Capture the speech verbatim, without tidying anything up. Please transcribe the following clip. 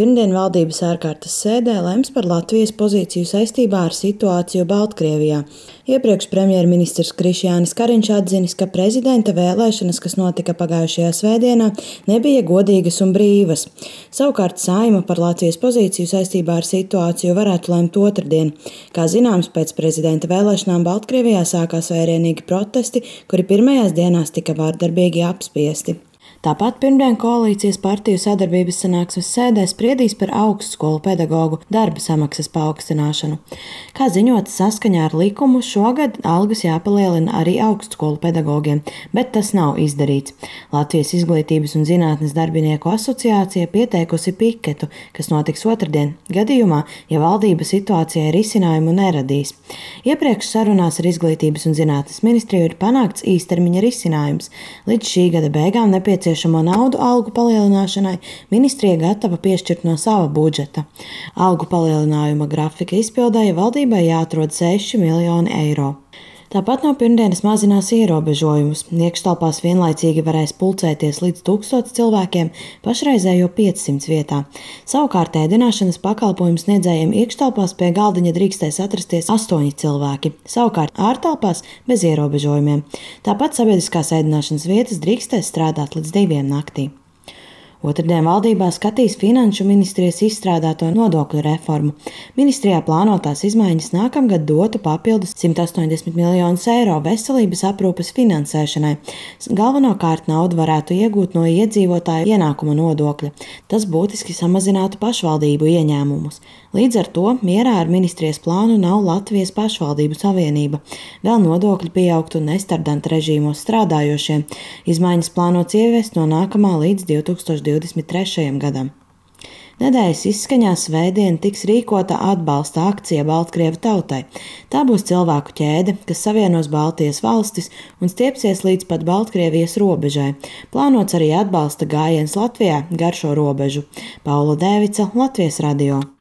Pirmdien valdības ārkārtas sēdē lems par Latvijas pozīciju saistībā ar situāciju Baltkrievijā. Iepriekš premjerministrs Krišjānis Kariņš atzinis, ka prezidenta vēlēšanas, kas notika pagājušajā svētdienā, nebija godīgas un brīvas. Savukārt Saeima par Latvijas pozīciju saistībā ar situāciju varētu lemt otrdien. Kā zināms, pēc prezidenta vēlēšanām Baltkrievijā sākās vērienīgi protesti, kuri pirmajās dienās tika vārdarbīgi apspiesti. Tāpat pirmdien koalīcijas partiju sadarbības sanāksmes sēdē spriedīs par augstskolu pedagogu darba samaksas paaugstināšanu. Kā ziņots, saskaņā ar likumu šogad algas jāpalielina arī augstskolu pedagogiem, bet tas nav izdarīts. Latvijas Izglītības un zinātnes darbinieku asociācija pieteikusi piketu, kas notiks otrdien, gadījumā, ja valdība situācijai risinājumu neradīs. Iepriekš sarunās ar Izglītības un zinātnes ministriju ir panākts īstermiņa risinājums. Līdz šī gada beigām nepieciešams Nepieciešamo naudu algu palielināšanai ministrija gatava piešķirt no sava budžeta. Algu palielinājuma grafika izpildēja valdībai jāatrod seši miljoni eiro. Tāpat no pirmdienas mazinās ierobežojumus. Iekštelpās vienlaicīgi varēs pulcēties līdz tūkstotis cilvēkiem pašreizējo piecsimt vietā. Savukārt ēdināšanas pakalpojumu sniedzējiem iekštelpās pie galdiņa drīkstēs atrasties astoņi cilvēki, savukārt ārtelpās bez ierobežojumiem. Tāpat sabiedriskās ēdināšanas vietas drīkstēs strādāt līdz diviem naktī. Otrdien valdībā skatīs Finanšu ministrijas izstrādāto nodokļu reformu. Ministrijā plānotās izmaiņas nākamgad dotu papildus simt astoņdesmit miljonus eiro veselības aprūpes finansēšanai. Galvenokārt naudu varētu iegūt no iedzīvotāju ienākuma nodokļa. Tas būtiski samazinātu pašvaldību ieņēmumus. Līdz ar to mierā ar ministrijas plānu nav Latvijas pašvaldību savienība. Vēl nodokļi pieaugtu nestardanta režīmos strādājošiem. Izmaiņas plānots ieviest no nākamā līdz divi tūkstoši divdesmit trešajam gadam. Nedēļas izskaņā svētdien tiks rīkota atbalsta akcija Baltkrievu tautai. Tā būs cilvēku ķēde, kas savienos Baltijas valstis un stiepsies līdz pat Baltkrievijas robežai. Plānots arī atbalsta gājiens Latvijā gar šo robežu. Paula Dēvica, Latvijas radio.